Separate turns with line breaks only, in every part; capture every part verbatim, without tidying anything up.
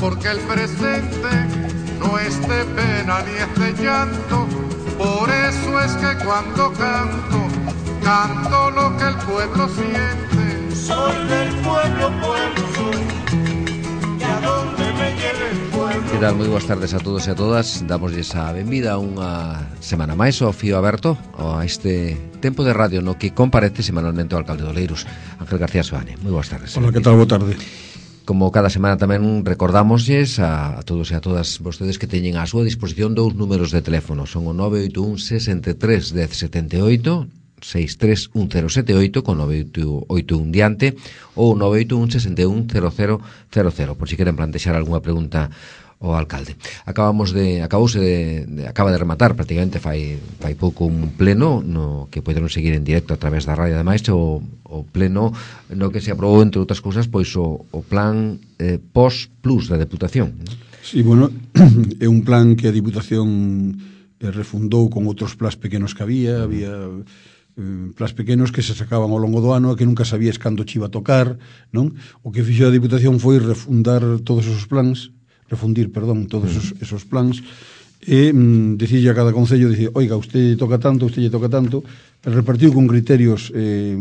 porque el presente no es de pena ni es de llanto. Por eso es que cuando canto, canto lo que el pueblo siente. Soy del pueblo, pueblo soy, y a donde me lleve el pueblo.
Que tal? Moi boas tardes a todos e a todas. Damosles a benvida a unha semana máis ao Fío Aberto, a este tempo de radio no que comparece semanalmente o alcalde de Oleiros, Ángel García Soane. Moi boas tardes.
Hola, que tal? Boa tarde.
Como cada semana tamén recordamosles a, a todos e a todas vostedes que teñen a súa disposición dous números de teléfono. Son o nove oito un, sesenta e tres, dez, setenta e oito, seis tres un cero sete oito con nove oito un diante, ou nove oito un, sesenta e un, cero cero cero cero, por si queren plantexar algunha pregunta ao alcalde. Acabamos de acabouse de, de acaba de rematar prácticamente fai fai pouco un pleno no que poderon seguir en directo a través da radio, ademais o, o pleno no que se aprobou, entre outras cousas, pois o, o plan eh, post plus da Deputación.
Sí, bueno, é un plan que a Diputación eh, refundou con outros plans pequenos que había, había eh, plans pequenos que se sacaban ao longo do ano e que nunca sabías cando che iba a tocar, non? O que fixo a Diputación foi refundar todos esos plans, refundir, perdón, todos esos, esos plans e mm, dicirlle a cada concello, dicir, oiga, usted toca tanto, usted lle toca tanto, repartiu con criterios eh,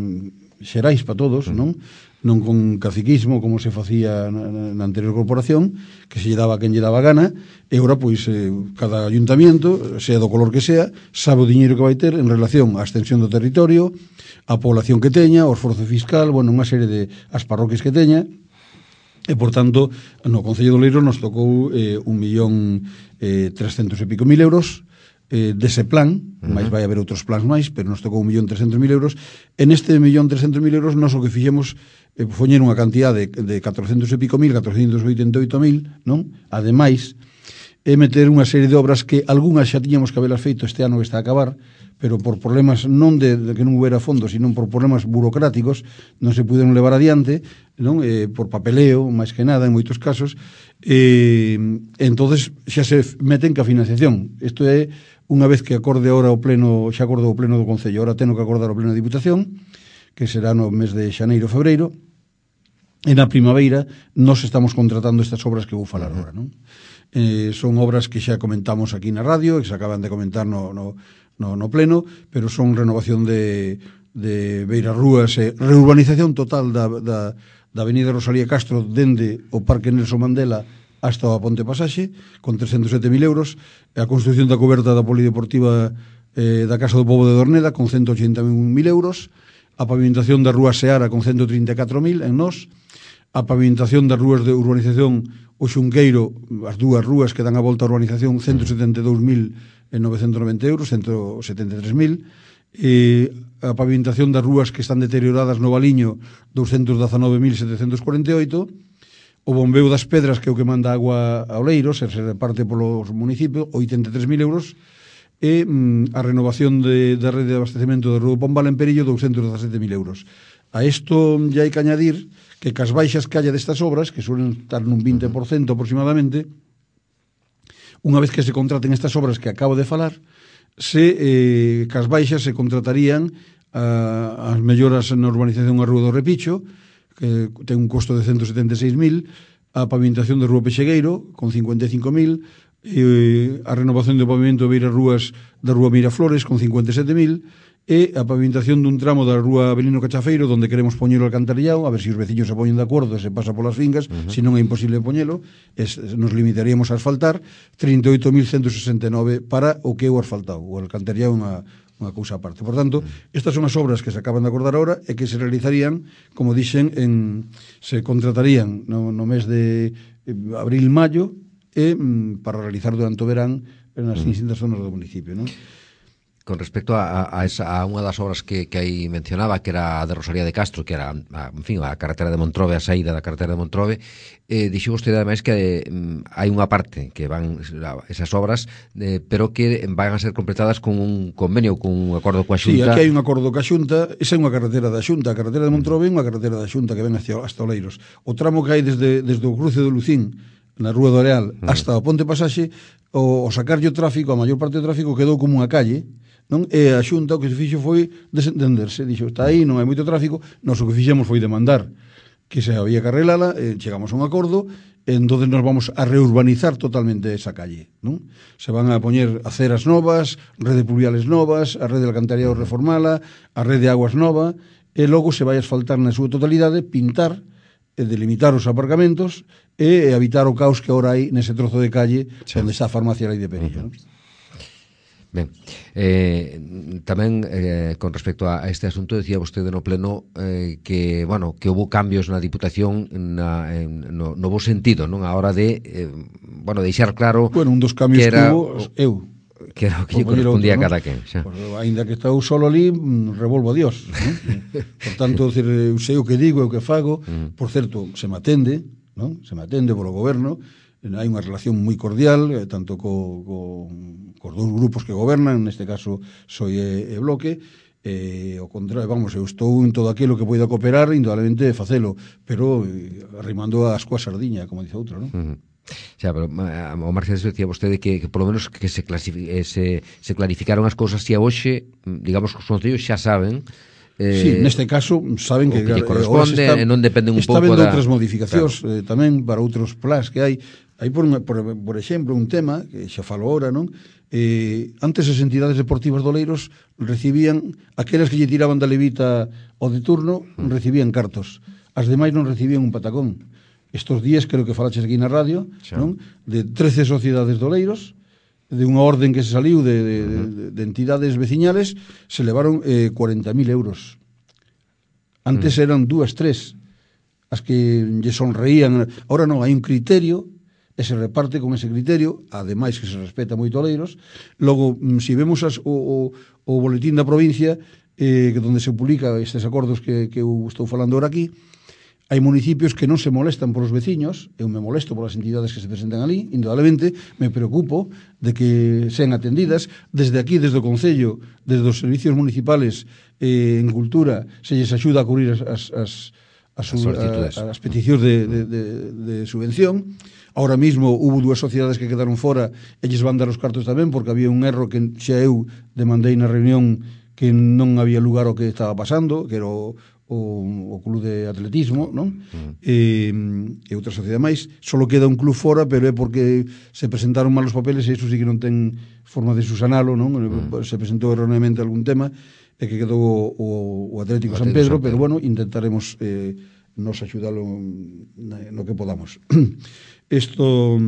xerais para todos, non? Non con caciquismo como se facía na, na anterior corporación, que se lle daba a quen lle daba gana, e agora, pois, eh, cada ayuntamiento, sea do color que sea, sabe o diñeiro que vai ter en relación á extensión do territorio, a población que teña, o esforzo fiscal, bueno, unha serie de as parroquias que teña. E, por tanto, no Concello de Oleiros nos tocou eh, un millón eh, trescentos e pico mil euros eh, dese plan, uh-huh. máis vai haber outros plans máis, pero nos tocou un millón trescentos mil euros. En este millón trescentos mil euros nos o que fixemos eh, foi unha cantidad de, de catrocentos e pico mil, catrocentos oitenta e oito mil, non? Ademais, é meter unha serie de obras que algunhas xa tiñamos que habelas feito este ano que está a acabar, pero por problemas non de, de que non houbera fondos, sino por problemas burocráticos non se puderon levar adiante, non? Eh, por papeleo, máis que nada, en moitos casos. Eh, entonces xa se meten ca financiación. Isto é unha vez que acorde ahora o pleno, xa acordou o pleno do Concello, ahora teno que acordar o pleno de Diputación, que será no mes de xaneiro, febreiro, e na primavera nos estamos contratando estas obras que vou falar agora, non? Eh, son obras que xa comentamos aquí na radio, que se acaban de comentar no, no No, no pleno, pero son renovación de, de beiras rúas e reurbanización total da, da, da avenida Rosalía Castro dende o Parque Nelson Mandela hasta a Ponte Pasaxe, con trescentos sete mil euros, a construción da coberta da polideportiva eh, da Casa do Pobo de Dorneda, con ciento ochenta mil euros, a pavimentación da Rúa Seara, con ciento trinta e catro mil en Nós, a pavimentación das rúas de urbanización O Xunqueiro, as dúas rúas que dan a volta á urbanización, ciento setenta e dous mil novecentos e noventa euros, ciento setenta e tres mil, e a pavimentación das rúas que están deterioradas no Valiño, doscientos dezanove mil setecentos cuarenta e oito, o bombeo das pedras, que é o que manda agua a Oleiros, e se reparte polos municipios, oitenta e tres mil euros, e mm, a renovación de, da rede de abastecemento de Rua do Pombal en Perillo, doscientos dezasete mil euros. A isto ya hai que añadir que cas baixas que haya destas obras, que suelen estar nun vinte por cento aproximadamente, unha vez que se contraten estas obras que acabo de falar, se eh, cas baixas se contratarían a, as melloras na urbanización a Rúa do Repicho, que ten un costo de ciento setenta e seis mil, a pavimentación de Rúa Pexegueiro, con cincuenta e cinco mil, e a renovación do pavimento de beiras rúas da Rúa Miraflores, con cincuenta e sete mil, e a pavimentación dun tramo da Rúa Avelino Cachafeiro, donde queremos poñelo alcantarillado, a ver se si os veciños se poñen de acordo e se pasa polas fincas, uh-huh. se non é imposible poñelo, es, nos limitaríamos a asfaltar trinta e oito mil ciento sesenta e nove para o que é o asfaltado, o alcantarillado é unha, unha cousa aparte. Por tanto, estas son as obras que se acaban de acordar ahora e que se realizarían, como dixen, en, se contratarían no, no mes de abril-maio e mm, para realizar durante o verán nas distintas zonas do municipio, non?
Con respecto a, a, esa, a unha das obras que, que aí mencionaba, que era a de Rosalía de Castro, que era, a, en fin, a carretera de Montrobe, a saída da carretera de Montrobe, eh, dixo vostede ademais que eh, hai unha parte que van esas obras, eh, pero que van a ser completadas con un convenio, con un acordo coa Xunta.
Sí, aquí hai un acordo coa Xunta, esa é unha carretera da Xunta, a carretera de Montrobe é unha carretera da Xunta que ven hasta, hasta Oleiros. O tramo que hai desde, desde o cruce do Lucín, na Rúa do Areal, hasta o Ponte Pasaxe, o, o sacarlle o tráfico, a maior parte do tráfico quedou como unha calle, non? E a Xunta o que se fixo foi desentenderse, dixo, está aí, non hai moito tráfico, nós o que fixemos foi demandar que se había que arreglala, eh, chegamos a un acordo entonces nos vamos a reurbanizar totalmente esa calle, non? Se van a poñer aceras novas, rede pluviales novas, a rede de alcantarillado reformala, a rede de aguas nova, e logo se vai asfaltar na súa totalidade, pintar, e delimitar os aparcamentos e evitar o caos que agora hai nese trozo de calle sí. onde está a farmacia Lei de Perilla, uh-huh. non?
Ben, eh, tamén eh, con respecto a este asunto decía vostede no pleno eh, que, bueno, que houve cambios na Diputación na, en, no, no bo sentido, non? A hora de, eh, bueno, deixar claro
bueno, un dos cambios que, era, que hubo, eu
que era o que lle correspondía a cada quen xa.
Pues, ainda que está eu solo ali, revolvo a Dios, non? Por tanto, decir, eu sei o que digo, o que fago, uh-huh. por certo, se me atende, non? Se me atende polo goberno, hai unha relación moi cordial, eh, tanto co, co, cos dous grupos que gobernan, neste caso Soy e, e Bloque, e, o contrario, vamos, eu estou en todo aquilo que poida cooperar, indudablemente facelo, pero eh, arrimando as coas sardiña, como dice outro, non?
Uh-huh. Xa, pero o Marcelo decía vostede que, que polo menos que se, eh, se, se clarificaron as cousas e a hoxe, digamos que os concellos xa saben.
Eh, sí, neste caso saben que,
que lle corresponde
está,
e non dependen un
pouco da... Está vendo outras modificacións, claro. eh, tamén para outros plans que hai. Hai, por, por, por exemplo, un tema que xa falo ahora, non? Eh, antes as entidades deportivas do Oleiros recibían, aquelas que lle tiraban da levita ao de turno, recibían cartos. As demais non recibían un patacón. Estos días, creo que falaches aquí na radio, xa. Non? De trece sociedades do Oleiros, de unha orden que se saliu de, de, uh-huh. de, de entidades veciñales, se levaron eh, cuarenta mil euros. Antes uh-huh. eran dúas, tres as que lle sonreían. Ahora non, hai un criterio e se reparte con ese criterio, ademais que se respeta moito Oleiros. Logo, se si vemos as, o, o, o boletín da provincia, eh, onde se publica estes acordos que, que eu estou falando ahora aquí, hai municipios que non se molestan por os veciños, eu me molesto por as entidades que se presentan ali, indudablemente, me preocupo de que sean atendidas. Desde aquí, desde o Concello, desde os servicios municipales eh, en cultura, se lles axuda a cubrir as, as, as, as, as, as, as peticións de, de, de, de subvención. Ahora mismo hubo dúas sociedades que quedaron fora, eles van dar os cartos tamén, porque había un erro que xa eu demandei na reunión que non había lugar ao que estaba pasando, que era o o, o club de atletismo, non? Uh-huh. E, e outra sociedade máis. Solo queda un club fora, pero é porque se presentaron mal os papeles e iso sí que non ten forma de susanalo, non? Uh-huh. Se presentou erróneamente algún tema e que quedou o, o, o Atlético, o San Pedro, San Pedro, pero bueno, intentaremos eh, nos axudalo no que podamos. Isto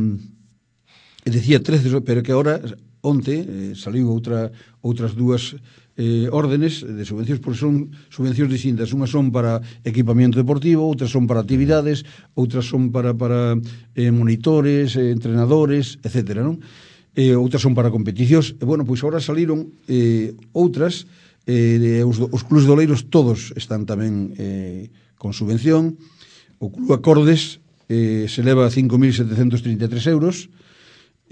decía trece, pero que agora onte eh, saliu outra outras dúas eh, órdenes de subvencións, porque son subvencións distintas. Unhas son para equipamiento deportivo, outras son para actividades, outras son para, para eh, monitores, eh, entrenadores, etcétera, non? Eh, outras son para competicións. E, bueno, pois agora saliron eh, outras, eh, os, os clubes de Oleiros todos están tamén eh, con subvención. O Club Acordes eh, se leva cinco mil setecentos trinta e tres euros.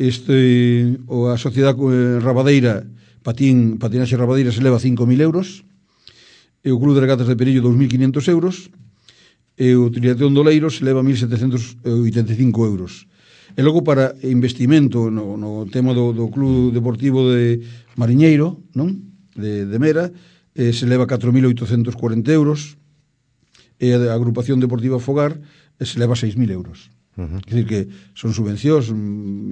Este, o a Sociedade eh, Rabadeira, Patín, Patinaxe Rabadeira, se leva cinco mil euros. E o Club de Regatas de Perillo, dos mil quinhentos euros. E o Triatlón do Oleiros se leva mil setecentos oitenta e cinco euros. E logo para investimento no, no tema do, do Club Deportivo de Mariñeiro, non? De, de Mera, eh, se leva catro mil oitocentos cuarenta euros. E a Agrupación Deportiva Fogar eh, se leva seis mil euros. Uh-huh. Quer dizer que son subvencións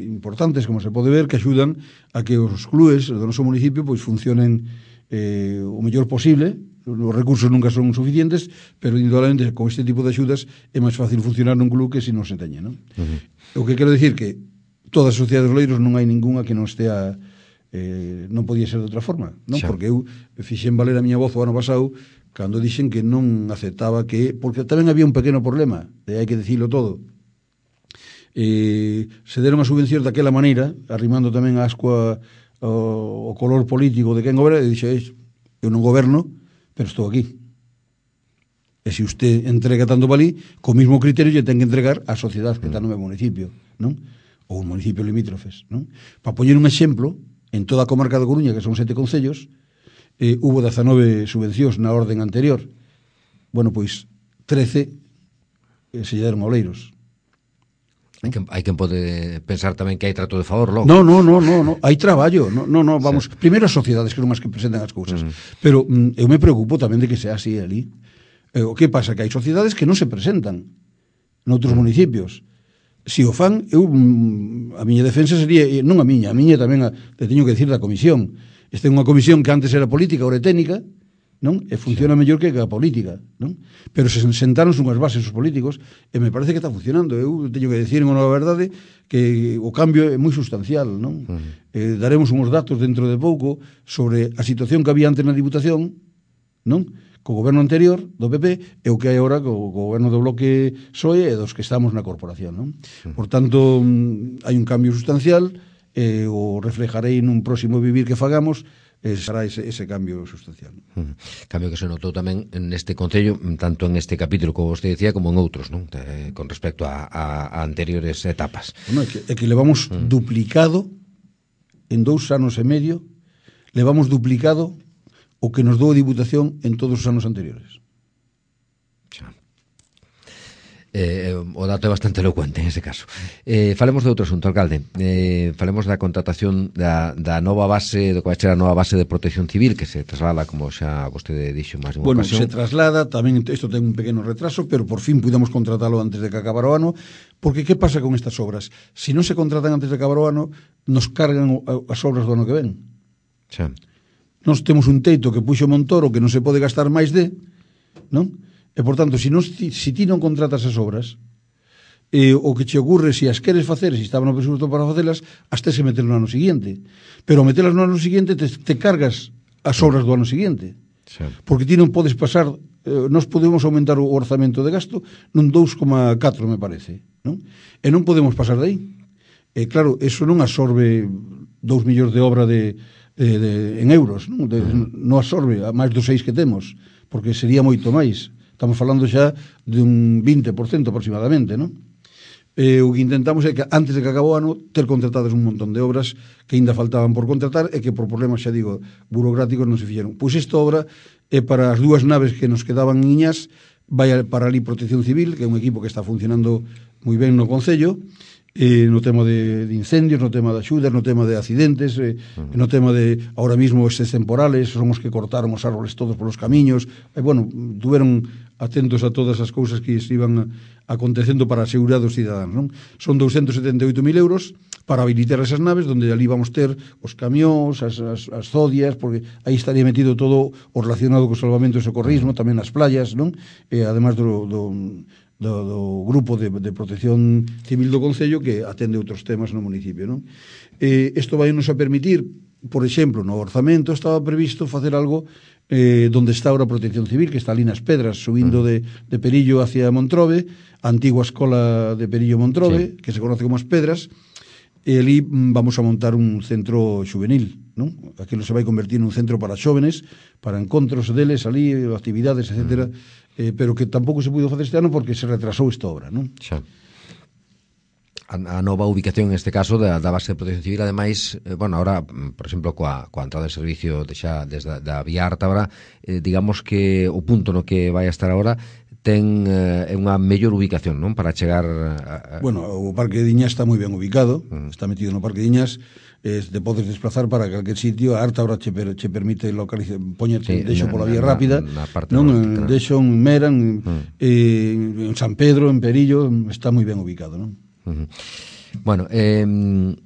importantes, como se pode ver, que axudan a que os clubes do noso municipio pois funcionen eh, o mellor posible. Os recursos nunca son suficientes, pero indudablemente con este tipo de axudas é máis fácil funcionar nun club que se non se teñe, non? Uh-huh. O que quero dicir que todas as sociedades de Oleiros non hai ningunha que non estea eh, non podía ser de outra forma, non? Xa. Porque eu fixen valer a miña voz o ano pasado cando dixen que non aceptaba que, porque tamén había un pequeno problema, de hai que dicilo todo. Eh, se deron as subvencións daquela maneira, arrimando tamén a ascua o, o color político de quen goberna, e dixeis, eu non goberno, pero estou aquí. E se usted entrega tanto valí, co mismo criterio lle ten que entregar a sociedade que está no meu municipio, non? Ou un municipio limítrofes, non? Para poñer un exemplo, en toda a comarca da Coruña, que son sete concellos, eh, hubo dezanove subvencións na orden anterior. Bueno, pois, trece eh, se lle deron a Oleiros.
Hai quen, hai quen pode pensar tamén que hai trato de favor logo.
No, no, no, no, no. Hai traballo. No, no, no, vamos, sí. Primeiro as sociedades que son as que presentan as cousas. Uh-huh. Pero mm, eu me preocupo tamén de que sea así ali. Eh, o que pasa? Que hai sociedades que non se presentan noutros uh-huh. municipios. si o fan, eu, a miña defensa sería, non a miña, a miña tamén a, te teño que decir da comisión. Esta é unha comisión que antes era política, ora é técnica, non? E funciona sí. mellor que a política, non? Pero se sentaron unhas bases os políticos e me parece que está funcionando. Eu teño que decir, en honor a verdade, que o cambio é moi sustancial, non? Uh -huh. eh, daremos uns datos dentro de pouco sobre a situación que había antes na Diputación, non? Co goberno anterior do P P e o que hai agora co, co goberno do Bloque P S O E e dos que estamos na corporación, non? Por tanto, hai un cambio sustancial e o reflejarei nun próximo vivir que fagamos e será ese, ese cambio sustancial.
Uh -huh. Cambio que se notou tamén neste Concello, tanto en este capítulo, como vostede decía, como en outros, non? Eh, con respecto a, a, a anteriores etapas.
Bueno, é que, é que levamos uh -huh. duplicado en dous anos e medio, levamos duplicado o que nos dou a Diputación en todos os anos anteriores.
Xa. Eh, o dato é bastante elocuente en ese caso. Eh, falemos de outro asunto, alcalde. Eh, falemos da contratación da, da nova base, do que vai ser a nova base de protección civil, que se traslada, como xa vostede dixo máis de unha
bueno,
ocasión.
Se traslada, tamén isto ten un pequeno retraso, pero por fin pudemos contratalo antes de que acabara o ano, porque que pasa con estas obras? Se non se contratan antes de acabar o ano, nos cargan as obras do ano que ven.
Xa.
Nós temos un teito que puxo Montoro que non se pode gastar máis de, non? E, por tanto, se, non, se ti non contratas as obras, eh, o que che ocurre, se as queres facer, se estaban no presupuesto para facelas, as tes que meter no ano seguinte. Pero metelas no ano seguinte, te, te cargas as obras do ano seguinte. Sí. Porque ti non podes pasar, eh, nós podemos aumentar o orzamento de gasto nun dous coma catro, me parece, non? E non podemos pasar de aí. E, claro, eso non absorbe dous millóns de obra de... De, de, en euros, non? De, non absorbe a máis dos seis que temos, porque sería moito máis. Estamos falando xa de un vinte por cento aproximadamente, non? Eh, o que intentamos é que antes de que acabou o ano ter contratadas un montón de obras que ainda faltaban por contratar e que por problemas, xa digo, burocráticos non se fixeron. Pois esta obra é para as dúas naves que nos quedaban en Iñas, vai para ali Protección Civil, que é un equipo que está funcionando moi ben no Concello, eh, no tema de, de incendios, no tema de axudas, no tema de accidentes, eh, uh -huh. no tema de, ahora mismo, estes temporales, son os que cortaron os árboles todos polos camiños, e, bueno, tuveron atentos a todas as cousas que se iban acontecendo para a seguridade dos cidadáns, non? Son doscientos setenta e oito mil euros para habilitar esas naves, donde ali vamos ter os camións, as, as, as zodias, porque aí estaría metido todo o relacionado co salvamento e socorrismo, tamén as playas, non? E, además do... do Do, do grupo de, de protección civil do Concello que atende outros temas no municipio, non? Eh, isto vai nos a permitir, por exemplo, no orzamento estaba previsto facer algo eh, donde está ahora a protección civil, que está ali nas Pedras, subindo de, de Perillo hacia Montrobe, a antigua escola de Perillo Montrobe, sí, que se conoce como as Pedras, e ali vamos a montar un centro juvenil, non? Aquilo se vai convertir nun centro para xóvenes, para encontros deles ali, actividades, etcétera, eh, pero que tampouco se pudo facer este ano porque se retrasou esta obra, non?
Xa. A, a nova ubicación, en este caso, da, da base de protección civil, ademais, eh, bueno, ahora, por exemplo, coa, coa entrada de servicio de xa desde da vía Ártabra, eh, digamos que o punto no que vai a estar agora ten eh, unha mellor ubicación, non? Para chegar a, a...
Bueno, o Parque de Iñas está moi ben ubicado, uh -huh. está metido no Parque de Iñas, eh, te podes desplazar para calquer sitio. A Ártabra che, per, che permite localizar, poñerte, sí, deixo pola vía na, rápida, na, na non? Norte, claro. Deixo en Meran, uh -huh. eh, en San Pedro, en Perillo, está moi ben ubicado, non?
Uh -huh. Bueno, eh,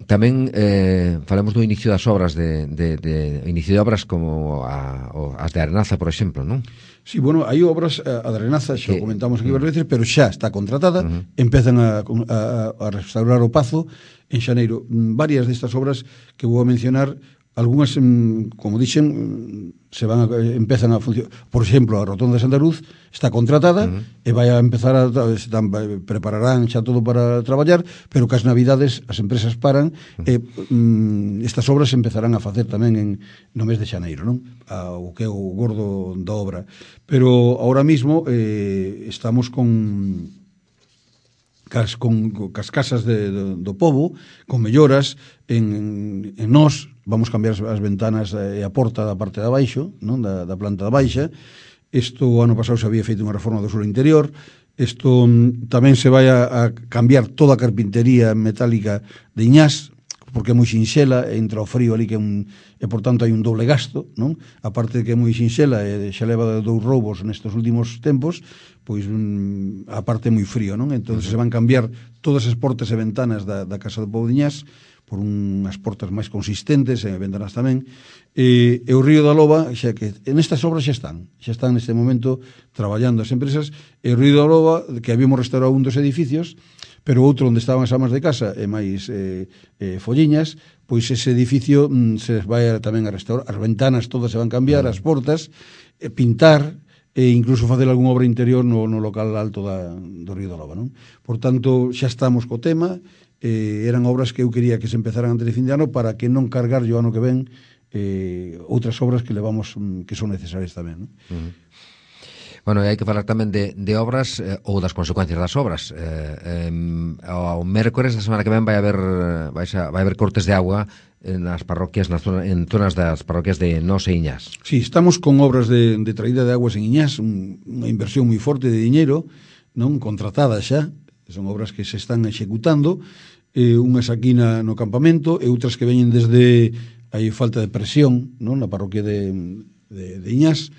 tamén eh, falamos do inicio das obras de, de, de inicio de obras como a, o, as de Arenaza, por exemplo, non?
Sí, bueno, hai obras, a de Arenaza xa que, comentamos aquí varias veces, pero xa está contratada, uh -huh. empezan a, a, a restaurar o Pazo en xaneiro. Varias destas obras que vou a mencionar, algunhas, como dixen, se van a, empezan a funcionar. Por exemplo, a Rotonda de Santa Cruz está contratada, uh -huh. e vai a empezar a, están, prepararán xa todo para traballar, pero que as navidades as empresas paran, uh -huh. e um, estas obras empezarán a facer tamén en, no mes de xaneiro, non? A, o que é o gordo da obra. Pero ahora mismo eh, estamos con cas, con, con cas casas de, de, do pobo, con melloras en, en nós. Vamos cambiar as ventanas e a porta da parte de abaixo, non? Da, da planta da baixa. Isto o ano pasado se había feito unha reforma do suelo interior. Isto tamén se vai a, a cambiar toda a carpintería metálica de Iñás, porque é moi sinxela, entra o frío ali que é un, e por tanto hai un doble gasto, non? A parte de que é moi sinxela e xa leva dous roubos nestes últimos tempos, pois um, a parte é moi frío, non? Entón se van cambiar todas as portas e ventanas da, da Casa do Pobo de Iñás por unhas portas máis consistentes e ventanas tamén, e, e o Río da Loba, xa que en estas obras xa están, xa están neste momento traballando as empresas, e o Río da Loba, que habíamos restaurado un dos edificios, pero outro onde estaban as amas de casa e máis eh, eh, folliñas, pois ese edificio mm, se vai a, tamén a restaurar, as ventanas todas se van cambiar, as portas, eh, pintar, e incluso facer algún obra interior no, no local alto da, do Río da Loba, non? Por tanto, xa estamos co tema, eh, eran obras que eu quería que se empezaran antes de fin de ano para que non cargar o ano que ven eh, outras obras que levamos mm, que son necesarias tamén, non?
Uh-huh. Bueno, e hai que falar tamén de, de obras eh, ou das consecuencias das obras. Eh, eh, ao mércores da semana que ven vai haber vai, xa, vai haber cortes de agua nas parroquias, nas zona, en zonas das parroquias de Nos e Iñás.
Sí, estamos con obras de, de traída de aguas en Iñás, un, unha inversión moi forte de diñeiro, non contratada xa, son obras que se están executando, eh, unhas aquí na, no campamento e outras que veñen desde hai falta de presión, non, na parroquia de, de, de Iñás,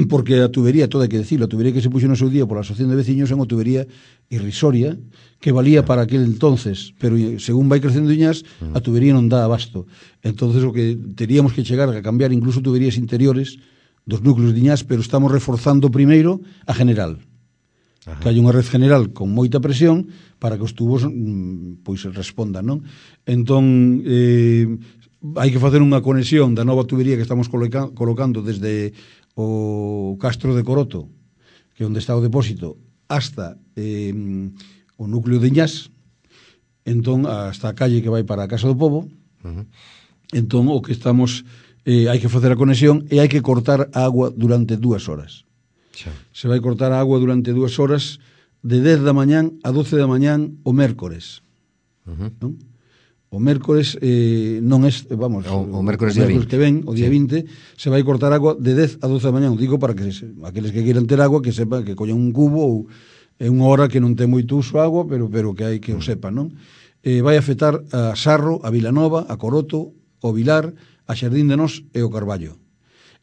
porque a tubería, toda hai que decirlo, a tubería que se puxo no seu día pola Asociación de Veciños é unha tubería irrisoria que valía para aquel entonces, pero según vai crecendo Iñás, a tubería non dá abasto. Entonces o que teríamos que chegar a cambiar incluso tuberías interiores dos núcleos de Iñás, pero estamos reforzando primeiro a general. Ajá. Que hai unha red general con moita presión para que os tubos pois respondan, non? Entón, eh, hai que facer unha conexión da nova tubería que estamos coloca- colocando desde o Castro de Coroto, que é onde está o depósito, hasta eh, o núcleo de Iñás, entón hasta a calle que vai para a Casa do Pobo. Uh-huh. Entón o que estamos eh, hai que facer a conexión e hai que cortar a agua durante dúas horas. Xa. Se vai cortar a agua durante dúas horas de dez da mañán a doce da mañán o mércores. Uh-huh. Non? O mércores eh, non é, vamos,
o, o
mércores,
mércores,
o mércores que ven, o día sí. vinte, se vai cortar agua de dez a doce da mañán. Digo para que se, aqueles que queiran ter agua, que sepan que collan un cubo ou é unha hora que non ten moito uso agua, pero pero que hai que o sepan, non? Eh, vai afectar a Sarro, a Vilanova, a Coroto, o Vilar, a Xardín de Nos e o Carballo.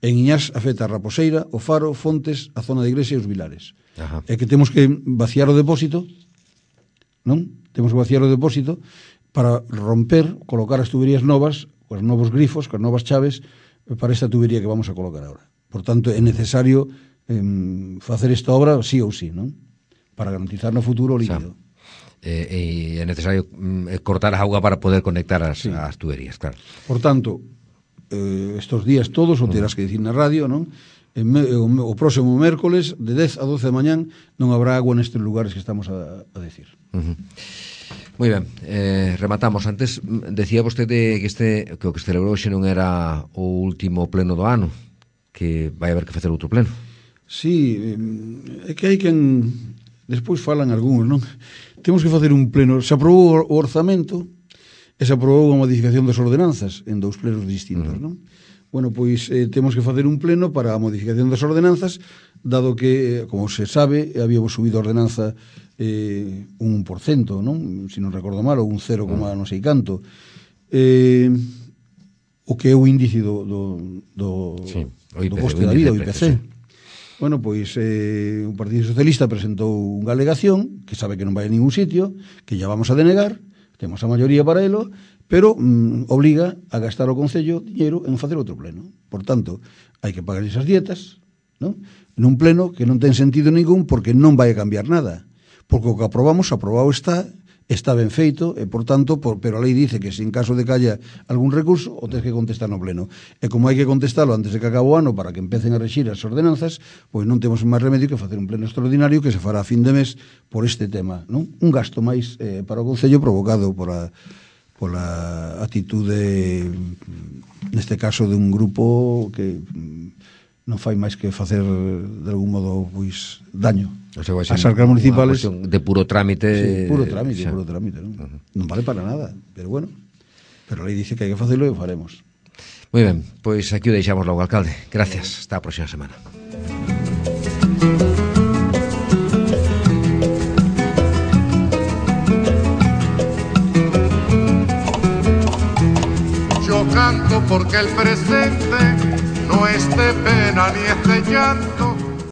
En Iñás afecta a Raposeira, o Faro, Fontes, a zona de Iglesia e os Vilares. Ajá. É que temos que vaciar o depósito, non? Temos que vaciar o depósito para romper, colocar as tuberías novas, os novos grifos, as novas chaves, para esta tubería que vamos a colocar agora. Por tanto, é necesario eh, facer esta obra sí ou sí, non? Para garantizar no futuro o líquido.
Eh, e é necesario mm, cortar a auga para poder conectar as, sí. as tuberías, claro.
Por tanto, eh, estos días todos, o terás que dicir na radio, non? En, o, o próximo mércoles, de dez a doce da mañán, non habrá agua nestes lugares que estamos a, a decir.
Uh-huh. Moi ben, eh, rematamos. Antes decía vostede que este que o que se celebrou xe non era o último pleno do ano, que vai haber que facer outro pleno.
Sí, é que hai quen despois falan algúns, non? Temos que facer un pleno. Se aprobou o orzamento e se aprobou a modificación das ordenanzas en dous plenos distintos, uh-huh. non? Bueno, pois eh, temos que facer un pleno para a modificación das ordenanzas, dado que, como se sabe, habíamos subido a ordenanza eh, un por cento, non? Se non recordo mal, ou un cero, uh-huh. non sei canto. Eh, o que é o índice do, do, do,
sí, o
do coste da vida, o I P C. Sí. Bueno, pois eh, o Partido Socialista presentou unha alegación que sabe que non vai a ningún sitio, que ya vamos a denegar, temos a maioría para elo, pero mm, obliga a gastar o Concello dinheiro en facer outro pleno. Por tanto, hai que pagar esas dietas, non? Nun pleno que non ten sentido ningún porque non vai a cambiar nada. Porque o que aprobamos, aprobado está, está ben feito, e, por tanto, por, pero a lei dice que se en caso de que haya algún recurso, o tens que contestar no pleno. E como hai que contestalo antes de que acabe o ano para que empecen a rexir as ordenanzas, pois non temos máis remedio que facer un pleno extraordinario que se fará a fin de mes por este tema, non? Un gasto máis eh, para o Concello provocado por a pola atitude, neste caso, de un grupo que non fai máis que facer de algún modo pois daño.
O sea,
as arcas municipales
de puro trámite.
Sí, puro trámite, xa. puro trámite, non? Uh-huh. Non vale para nada, pero bueno, pero a lei dice que hai que facelo e o faremos.
Moi ben, pois aquí o deixamos logo, alcalde. Gracias, hasta a próxima semana.
lo canto porque el presente no es de pena ni es de llanto,